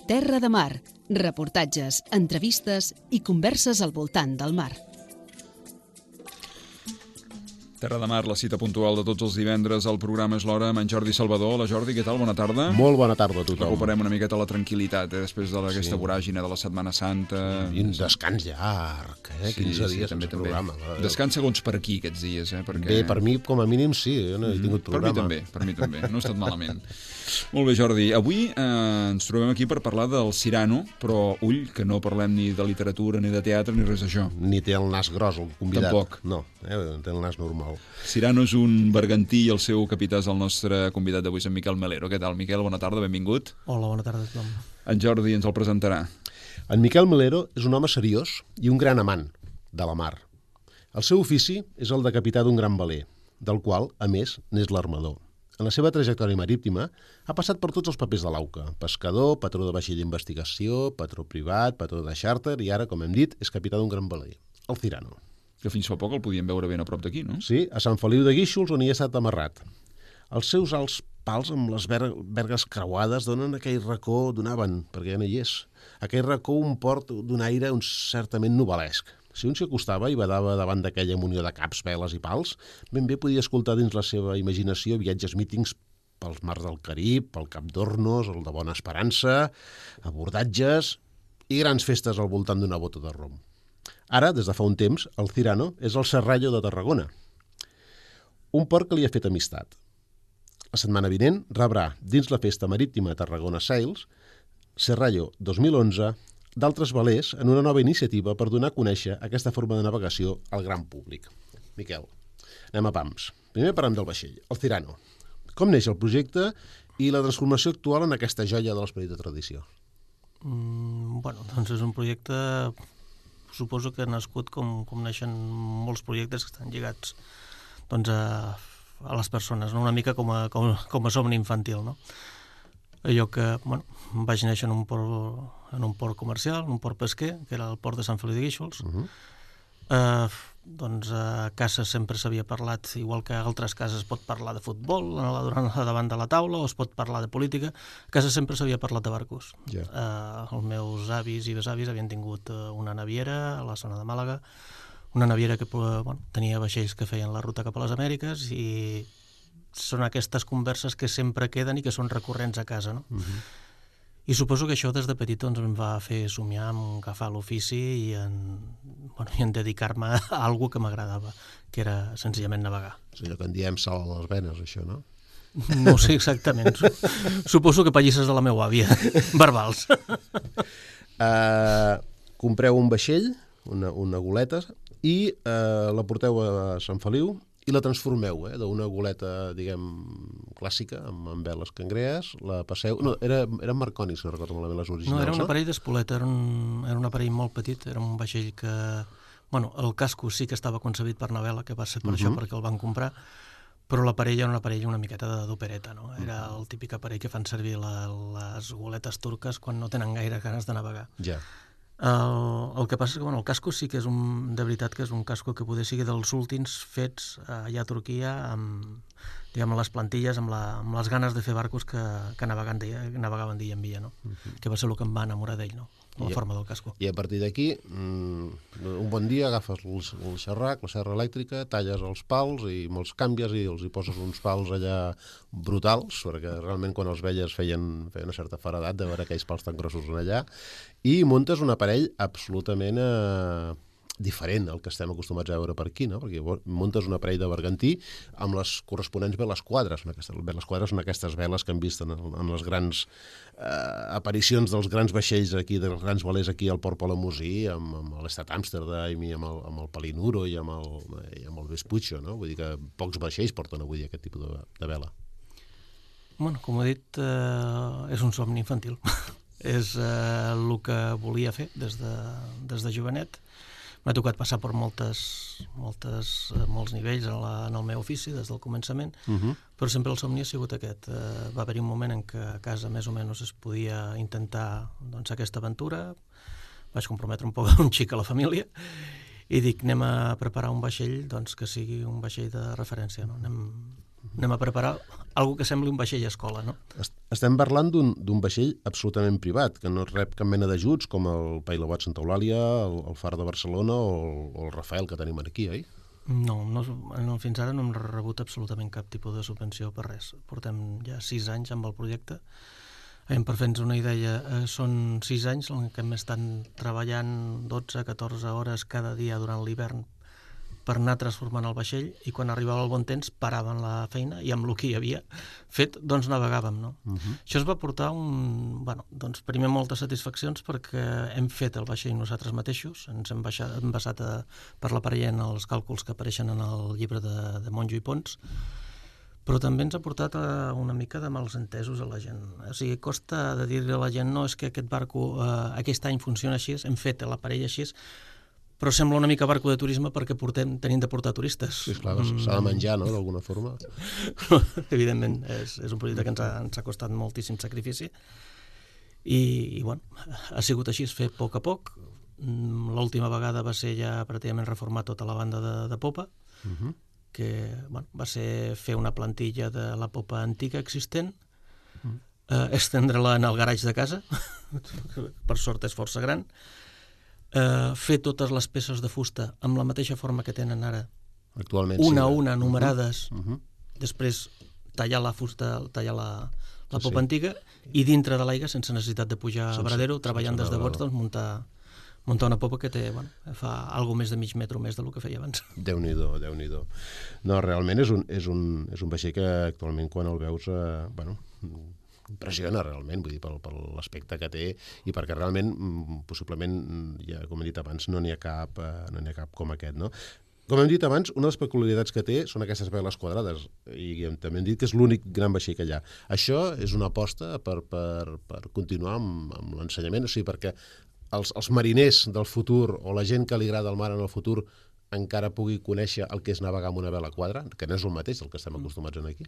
Terra de Mar, reportatges, entrevistes i converses al voltant del mar. Terra de Mar, la cita puntual de tots els divendres. El programa és l'hora amb en Jordi Salvador. Hola Jordi, què tal? Bona tarda. Molt bona tarda a tothom. Recuperem una miqueta la tranquil·litat, després d'aquesta voràgine de la Setmana Santa. I un descans llarg, 15 dies sense programa. Descans segons per aquí aquests dies, perquè... Bé, per mi com a mínim sí, jo no he tingut programa. Per mi també, no ha estat malament. Molt bé, Jordi. Avui ens trobem aquí per parlar del Cyrano, però ull, que no parlem ni de literatura, ni de teatre, ni res d'això. Ni té el nas gros, el convidat. Tampoc. No, té el nas normal. Cyrano és un bergantí i el seu capità és el nostre convidat d'avui, en Miquel Melero. Què tal, Miquel? Bona tarda, benvingut. Hola, bona tarda a tothom. En Jordi ens el presentarà. En Miquel Melero és un home seriós i un gran amant de la mar. El seu ofici és el de capità d'un gran veler, del qual, a més, n'és l'armador. En la seva trajectòria marítima ha passat per tots els papers de l'AUCA: pescador, patró de vaixell d'investigació, patró privat, patró de xàrter i ara, com hem dit, és capità d'un gran veler, el Cyrano. Que fins fa poc el podíem veure ben a prop d'aquí, no? Sí, a Sant Feliu de Guíxols, on hi ha estat amarrat. Els seus alts pals amb les vergues creuades donen aquell racó, donaven, perquè ja no hi és, aquell racó un port d'un aire certament novel·lesc. Si un s'hi acostava i badava davant d'aquella munió de caps, veles i pals, ben bé podia escoltar dins la seva imaginació viatges mítings pels mars del Carib, pel Cap d'Hornos, el de Bona Esperança, abordatges i grans festes al voltant d'una bota de rom. Ara, des de fa un temps, el Cyrano és el Serrallo de Tarragona, un port que li ha fet amistat. La setmana vinent rebrà, dins la festa marítima Tarragona Sails, Serrallo 2011, d'altres velers en una nova iniciativa per donar a conèixer aquesta forma de navegació al gran públic. Miquel, anem a pams. Primer parlem del vaixell, el Cyrano. Com neix el projecte i la transformació actual en aquesta joia de l'esperit de tradició? Doncs és un projecte, suposo que ha nascut com neixen molts projectes que estan lligats a les persones, no? Una mica com a somni infantil, no? Allò que vaig néixer en un port comercial, en un port pesquer, que era el port de Sant Feliu de Guíxols. Doncs a casa sempre s'havia parlat, igual que a altres cases es pot parlar de futbol davant de la taula o es pot parlar de política, a casa sempre s'havia parlat de barcos. Els meus avis i besavis havien tingut una naviera a la zona de Màlaga, una naviera que tenia vaixells que feien la ruta cap a les Amèriques, i són aquestes converses que sempre queden i que són recurrents a casa, no? I suposo que això des de petit em va fer somiar en agafar l'ofici i en dedicar-me a alguna que m'agradava, que era senzillament navegar. És allò que en diem sal a les venes, això, no? No ho sé exactament. Suposo que pallisses de la meva àvia, verbals. Compreu un vaixell, una goleta, i la porteu a Sant Feliu i la transformeu, d'una goleta, diguem, clàssica, amb veles cangrees, la passeu... No, eren marconis, no recordo malament les originals. No, era un aparell d'espoleta, era un aparell molt petit, era un vaixell que... el casco sí que estava concebit per navela, que va ser per això perquè el van comprar, però l'aparell era un aparell una miqueta d'opereta, no? Era el típic aparell que fan servir les goletes turques quan no tenen gaire ganes de navegar. Ja. El que passa és que el casco sí que és de veritat que és un casco que poder sigui dels últims fets allà a Turquia amb les plantilles, amb les ganes de fer barcos que navegaven dia en dia, no? Que va ser el que em va enamorar d'ell, no? La forma del casco. I a partir d'aquí, un bon dia agafes el xerrac, la serra elèctrica, talles els pals i me'ls canvies i els hi poses uns pals allà brutals, perquè realment quan els veies feien una certa faradat de veure aquells pals tan grossos allà, i muntes un aparell absolutament diferent al que estem acostumats a veure per aquí, no? Perquè muntes un aparell de bergantí amb les corresponents veles quadres. Les quadres són aquestes veles que hem vist en les grans aparicions dels grans vaixells aquí, dels grans velers aquí al Port Palamosí, amb l'Estat Amsterdam i amb el Palinuro i amb el Vespuccio, no? Vull dir que pocs vaixells porten avui aquest tipus de vela. Com he dit, és un somni infantil. És el que volia fer des de jovenet. M'ha tocat passar per molts nivells en el meu ofici des del començament, però sempre el somni ha sigut aquest. Va haver-hi un moment en què a casa més o menys es podia intentar aquesta aventura. Vaig comprometre un poc un xic a la família i dic, anem a preparar un vaixell que sigui un vaixell de referència. Anem a preparar algo que sembli un vaixell escola, no? Estem parlant d'un vaixell absolutament privat, que no rep cap mena d'ajuts, com el Pailobot Santa Eulàlia, el Far de Barcelona o el Rafael que tenim aquí, oi? No, fins ara no hem rebut absolutament cap tipus de subvenció per res. Portem ja 6 anys amb el projecte. Per fer-nos una idea, són 6 anys en què hem estat treballant 12-14 hores cada dia durant l'hivern per anar transformant el vaixell, i quan arribava el bon temps paraven la feina i amb el que hi havia fet, doncs navegàvem, no? Això ens va portar primer moltes satisfaccions perquè hem fet el vaixell nosaltres mateixos, ens hem basat per l'aparell en els càlculs que apareixen en el llibre de Monjo i Pons, però també ens ha portat una mica de mals entesos a la gent. O sigui, costa de dir-li a la gent, no, és que aquest barco aquest any funciona així, hem fet l'aparell així, però sembla una mica barco de turisme perquè tenim de portar turistes. Sí, esclar, s'ha de menjar, no?, d'alguna forma. Evidentment, és un projecte que ens ha costat moltíssim sacrifici i ha sigut així, fer a poc. L'última vegada va ser ja pràcticament reformar tota la banda de popa, que va ser fer una plantilla de la popa antiga existent, estendre-la en el garatge de casa, per sort és força gran, fer totes les peces de fusta amb la mateixa forma que tenen ara, actualment, una a una, numerades, després tallar la fusta, tallar la popa antiga, i dintre de l'aigua, sense necessitat de pujar a Varadero, treballant des de bots, doncs muntar una popa que fa algo més de mig metro més del que feia abans. Déu-n'hi-do, Déu-n'hi-do. No, realment és un vaixell que actualment quan el veus, impressiona realment, vull dir, per l'aspecte que té i perquè realment, possiblement, ja com he dit abans, no n'hi ha cap com aquest, no? Com hem dit abans, una de les peculiaritats que té són aquestes veles quadrades i també hem dit que és l'únic gran vaixell que hi ha. Això és una aposta per continuar amb l'ensenyament, o sigui, perquè els mariners del futur o la gent que li agrada el mar en el futur encara pugui conèixer el que és navegar amb una vela quadra, que no és el mateix del que estem acostumats aquí.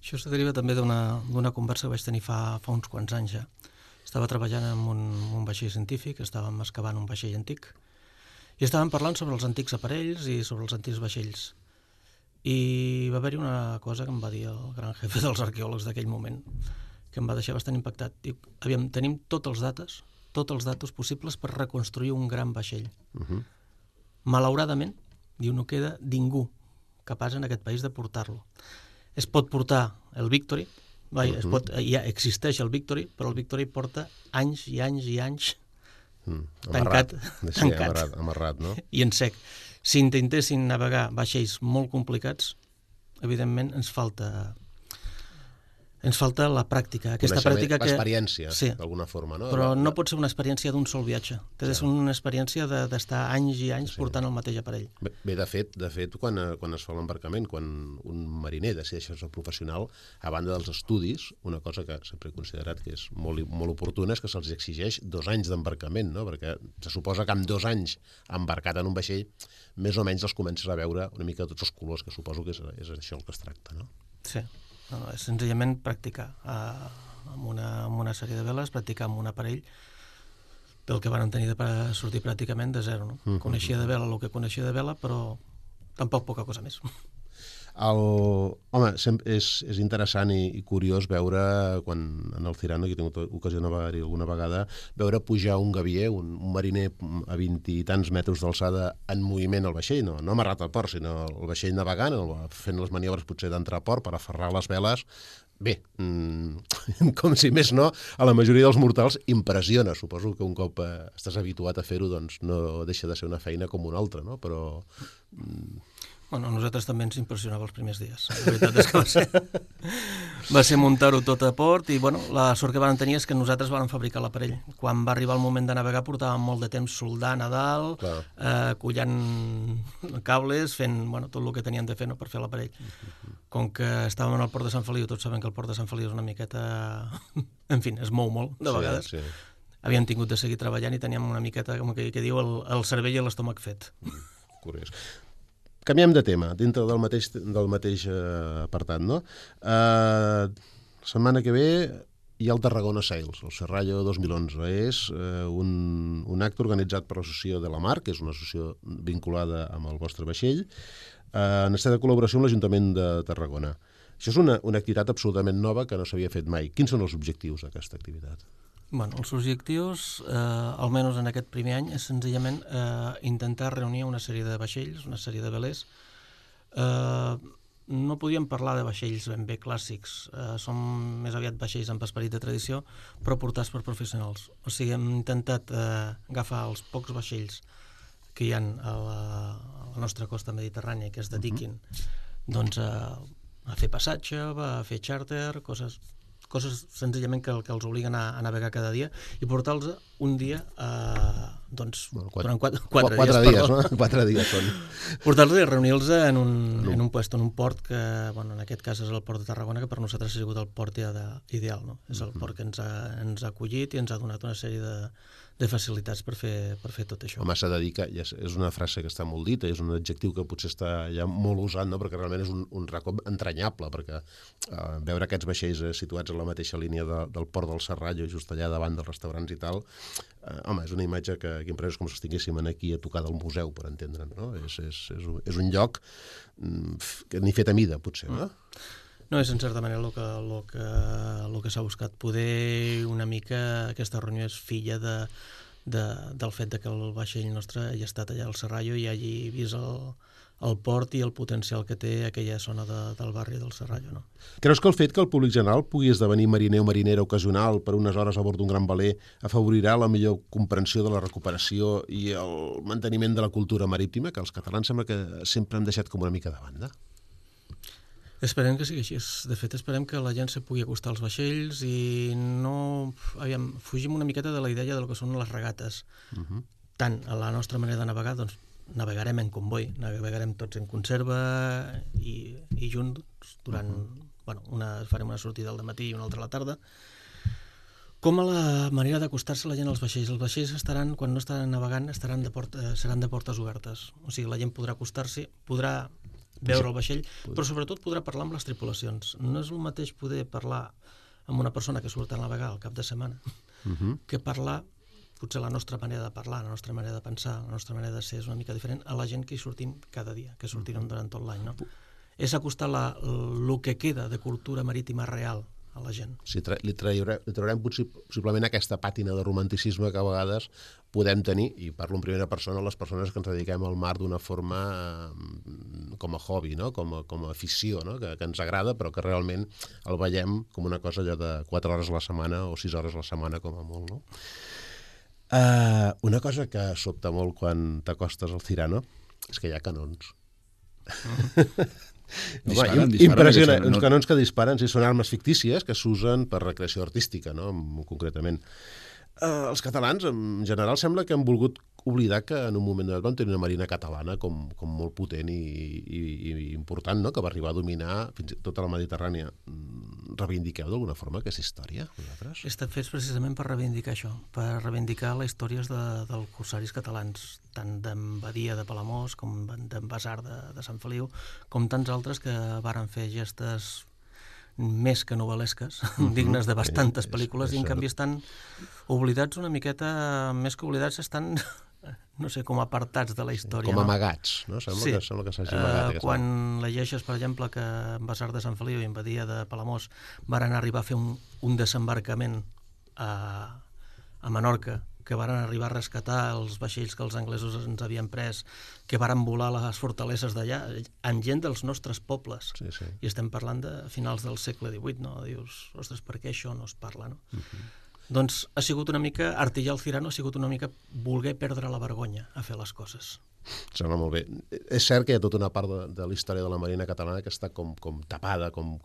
Això es deriva també d'una conversa que vaig tenir fa uns quants anys ja. Estava treballant en un vaixell científic, estàvem excavant un vaixell antic i estàvem parlant sobre els antics aparells i sobre els antics vaixells. I va haver-hi una cosa que em va dir el gran jefe dels arqueòlegs d'aquell moment, que em va deixar bastant impactat. Diu, aviam, tenim tots els datos possibles per reconstruir un gran vaixell. Malauradament, diu, no queda ningú capaç en aquest país de portar-lo. Es pot portar el Victory, ja existeix el Victory, però el Victory porta anys i anys i anys tancat, amarrat, no? I en sec. Si intentessin navegar vaixells molt complicats, evidentment ens falta la pràctica, aquesta pràctica que... L'experiència, d'alguna forma, no? Però no pot ser una experiència d'un sol viatge. Té de ser una experiència d'estar anys i anys portant el mateix aparell. Bé, de fet, quan es fa l'embarcament, quan un mariner decideix ser professional, a banda dels estudis, una cosa que sempre he considerat que és molt oportuna és que se'ls exigeix 2 anys d'embarcament, no? Perquè se suposa que amb 2 anys embarcat en un vaixell, més o menys els comences a veure una mica tots els colors, que suposo que és això el que es tracta, no? Sí. És senzillament practicar amb una sèrie de veles, practicar amb un aparell del que van tenir de sortir pràcticament de zero. No? Coneixia de vela el que coneixia de vela, però tampoc poca cosa més. Home, és interessant i curiós veure, quan en el Cyrano, que he tingut ocasió de navegar-hi alguna vegada, veure pujar un gavier, un mariner a 20 i tants metres d'alçada en moviment al vaixell, no amarrat al port, sinó el vaixell navegant, fent les maniobres potser d'entrar a port per aferrar les veles. Bé, com si més no, a la majoria dels mortals impressiona. Suposo que un cop estàs habituat a fer-ho, doncs no deixa de ser una feina com una altra, no? Però... Bueno, a nosaltres també ens impressionava els primers dies. La veritat és que va ser muntar-ho tot a port i la sort que vam tenir és que nosaltres vam fabricar l'aparell. Quan va arribar el moment de navegar portàvem molt de temps soldant a dalt, collant cables, fent tot el que tenien de fer per fer l'aparell. Com que estàvem en el port de Sant Feliu, tots sabem que el port de Sant Feliu és una miqueta... En fi, es mou molt, de vegades. Havíem tingut de seguir treballant i teníem una miqueta, com que diu, el cervell i l'estómac fet. Curiós. Canviem de tema, dintre del mateix apartat, no? La setmana que ve hi ha el Tarragona Sails, el Serrallo 2011. És un acte organitzat per l'Associació de la Mar, que és una associació vinculada amb el vostre vaixell, en estat de col·laboració amb l'Ajuntament de Tarragona. Això és una activitat absolutament nova que no s'havia fet mai. Quins són els objectius d'aquesta activitat? Bueno, els objectius, almenys en aquest primer any, és senzillament intentar reunir una sèrie de vaixells, una sèrie de velers. No podíem parlar de vaixells ben bé clàssics, són més aviat vaixells amb esperit de tradició, però portats per professionals. O sigui, hem intentat agafar els pocs vaixells que hi ha a la nostra costa mediterrània que es dediquin doncs, a fer passatge, a fer xàrter, coses senzillament que els obliguen a navegar cada dia i portar-los un dia doncs, durant 4 dies. No? 4 dies són. Portar-los i reunir-los en un port que, bueno, en aquest cas és el port de Tarragona, que per nosaltres ha sigut el port ideal. No? És el port que ens ha acollit i ens ha donat una sèrie de facilitats per fer tot això. Home, s'ha de dir que és una frase que està molt dita, és un adjectiu que potser està ja molt usat, no? Perquè realment és un racó entranyable, perquè veure aquests vaixells situats a la mateixa línia del port del Serrallo, just allà davant dels restaurants i tal, home, és una imatge que imprès com si estiguéssim aquí a tocar del museu, per entendre'n, no? És un lloc que ni fet a mida, potser, no? No, és en certa manera el que s'ha buscat. Poder una mica aquesta reunió és filla del fet que el vaixell nostre hagi estat allà al Serrallo i hagi vist el port i el potencial que té aquella zona del barri del Serrallo. No? Creus que el fet que el públic general pugui esdevenir mariner o marinera ocasional per unes hores a bord d'un gran veler afavorirà la millor comprensió de la recuperació i el manteniment de la cultura marítima, que els catalans sembla que sempre han deixat com una mica de banda? Esperem que sigui així. De fet, esperem que la gent se pugui acostar als vaixells i no... fugim una miqueta de la idea del que són les regates. Tant a la nostra manera de navegar, doncs navegarem en comboi, navegarem tots en conserva i junts durant... farem una sortida al matí i una altra a la tarda. Com a la manera d'acostar-se la gent als vaixells. Els vaixells estaran, quan no estaran navegant, seran de portes obertes. O sigui, la gent podrà acostar-s'hi, podrà veure el vaixell, però sobretot podrà parlar amb les tripulacions. No és el mateix poder parlar amb una persona que surt a navegar al cap de setmana que parlar, potser la nostra manera de parlar, la nostra manera de pensar, la nostra manera de ser és una mica diferent a la gent que hi sortim cada dia, que sortirem durant tot l'any. No? És acostar el que queda de cultura marítima real a la gent. Sí, li traurem possiblement aquesta pàtina de romanticisme que a vegades podem tenir, i parlo en primera persona, les persones que ens dediquem al mar d'una forma com a hobby, no? com a afició, no? que ens agrada, però que realment el veiem com una cosa allò de 4 hores a la setmana o 6 hores a la setmana com a molt. No? Una cosa que sobta molt quan t'acostes al Cyrano és que hi ha canons. Disparen, impressionant, uns canons que disparen, sí, són armes fictícies que s'usen per recreació artística, no? Concretament. Els catalans, en general, sembla que han volgut oblidar que en un moment donat van tenir una marina catalana com molt potent i important, no? Que va arribar a dominar fins i tot la Mediterrània. Reivindiqueu d'alguna forma aquesta història, vosaltres? Estan fets precisament per reivindicar això, per reivindicar les històries dels corsaris catalans, tant d'en Badia de Palamós com d'en Basar de Sant Feliu, com tants altres que varen fer gestes més que novel·lesques, dignes de bastantes pel·lícules, i en canvi estan oblidats una miqueta, més que oblidats, estan, no sé, com apartats de la història. Com amagats, no? Sembla que s'hagi amagat. Quan llegeixes, per exemple, que en Basar de Sant Feliu i en Badia de Palamós varen arribar a fer un desembarcament a Menorca, que varen arribar a rescatar els vaixells que els anglesos ens havien pres, que varen volar les fortaleses d'allà, amb gent dels nostres pobles. Sí, sí. I estem parlant de finals del segle XVIII, no? Dius, ostres, per què això no es parla, no? Doncs ha sigut una mica, artillar el Cyrano ha sigut una mica voler perdre la vergonya a fer les coses. Sembla molt bé. És cert que hi ha tota una part de la història de la marina catalana que està com tapada, com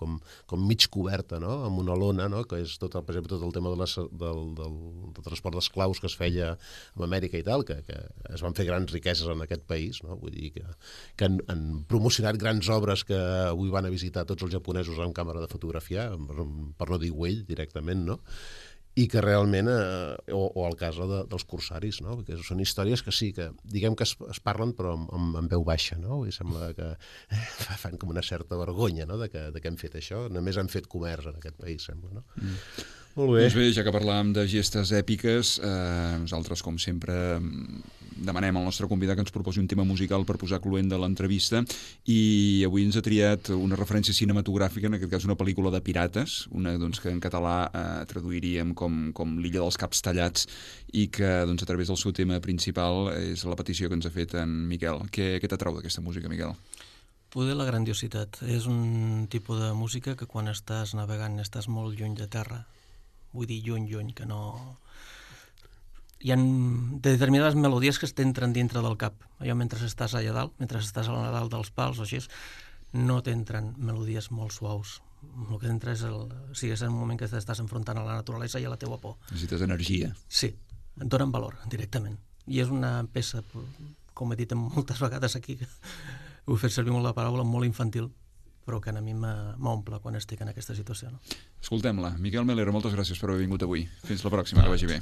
mig coberta, no? Amb una lona, no? Que és per exemple, tot el tema del transport d'esclaus que es feia a Amèrica i tal, que es van fer grans riqueses en aquest país, no? Vull dir que han promocionat grans obres que avui van a visitar tots els japonesos amb càmera de fotografiar, per no dir Güell directament, no? I que realment, o el cas dels corsaris, no? Perquè són històries que sí, que diguem que es parlen però amb veu baixa, no? I sembla que fan com una certa vergonya, no? de que hem fet això. Només han fet comerç en aquest país, sembla, no? Molt bé. Doncs bé, ja que parlàvem de gestes èpiques, nosaltres, com sempre, demanem al nostre convidat que ens proposi un tema musical per posar cluent de l'entrevista, i avui ens ha triat una referència cinematogràfica, en aquest cas una pel·lícula de pirates, una doncs, que en català traduiríem com l'illa dels caps tallats, i que doncs, a través del seu tema principal és la petició que ens ha fet en Miquel. Què t'atrau d'aquesta música, Miquel? Poder la grandiositat. És un tipus de música que quan estàs navegant estàs molt lluny de terra. Vull dir lluny, que no... Hi ha determinades melodies que t'entren dintre del cap. Allò mentre estàs allà dalt, mentre estàs a la dalt dels pals o així, no t'entren melodies molt suaus. El que entra és és en un moment que t'estàs enfrontant a la naturalesa i a la teua por. Necessites energia. Sí, et donen valor directament. I és una peça, com he dit moltes vegades aquí, he fet servir molt la paraula, molt infantil, però que a mi m'omple quan estic en aquesta situació. No? Escoltem-la. Miquel Melero, moltes gràcies per haver vingut avui. Fins la pròxima, que vagi bé.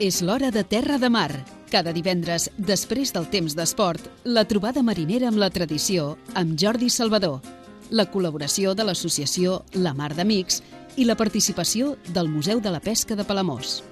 És l'hora de Terra de Mar. Cada divendres, després del temps d'esport, la trobada marinera amb la tradició amb Jordi Salvador, la col·laboració de l'associació La Mar d'Amics i la participació del Museu de la Pesca de Palamós.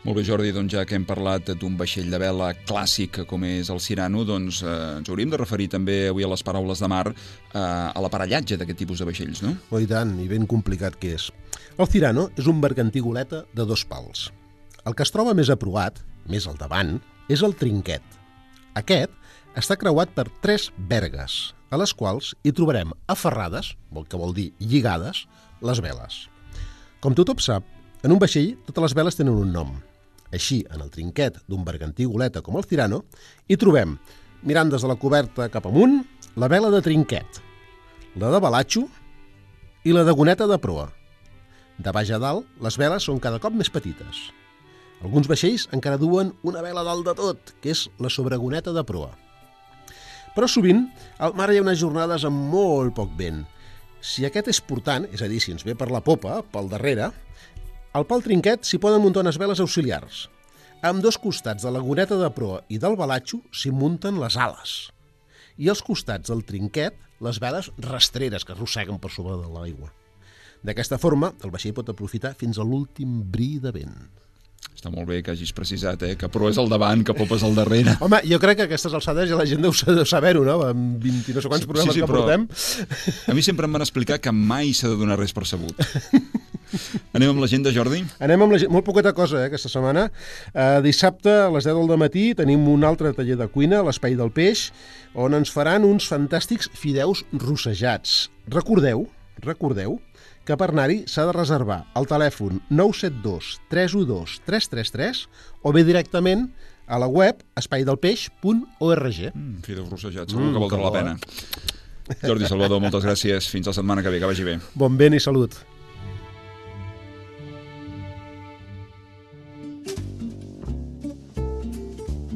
Molt bé, Jordi, doncs ja que hem parlat d'un vaixell de vela clàssic com és el Cyrano, doncs ens hauríem de referir també avui a les paraules de mar a l'aparellatge d'aquest tipus de vaixells, no? Oh, i tant, i ben complicat que és. El Cyrano és un bergantí goleta de 2 pals. El que es troba més aprovat, més al davant, és el trinquet. Aquest està creuat per 3 vergues, a les quals hi trobarem aferrades, que vol dir lligades, les veles. Com tothom sap, en un vaixell totes les veles tenen un nom. Així, en el trinquet d'un bergantí goleta com el Cyrano, hi trobem, mirant des de la coberta cap amunt, la vela de trinquet, la de balatxo i la de goneta de proa. De baix a dalt, les veles són cada cop més petites. Alguns vaixells encara duen una vela dalt de tot, que és la sobregoneta de proa. Però sovint, al mar hi ha unes jornades amb molt poc vent. Si aquest és portant, és a dir, si ens ve per la popa, pel darrere, al pal trinquet s'hi poden muntar unes veles auxiliars. A ambdós costats de la goneta de proa i del balatxo s'hi munten les ales. I als costats del trinquet, les veles rastreres que arrosseguen per sobre de l'aigua. D'aquesta forma, el vaixell pot aprofitar fins a l'últim bri de vent. Està molt bé que hagis precisat, que proa és al davant, que popa és al darrere. Home, jo crec que a aquestes alçades ja la gent deu saber-ho, no? Amb 20 no sé quants programes que portem. A mi sempre em van explicar que mai s'ha de donar res per sabut. Anem amb l'agenda, Jordi? Anem amb l'agenda. Molt poqueta cosa, aquesta setmana. Dissabte, a les 10 del matí, tenim un altre taller de cuina, a l'Espai del Peix, on ens faran uns fantàstics fideus rossejats. Recordeu que per anar-hi s'ha de reservar al telèfon 972 312 333 o bé directament a la web espaidelpeix.org. Fideus rossejats, segur que valdrà la pena. Jordi Salvador, moltes gràcies. Fins la setmana que ve, que vagi bé. Bon vent i salut.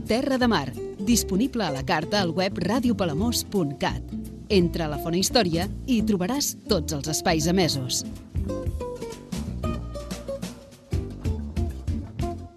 Terra de Mar, disponible a la carta al web radiopalamós.cat. Entra a la Fona Història i hi trobaràs tots els espais emesos.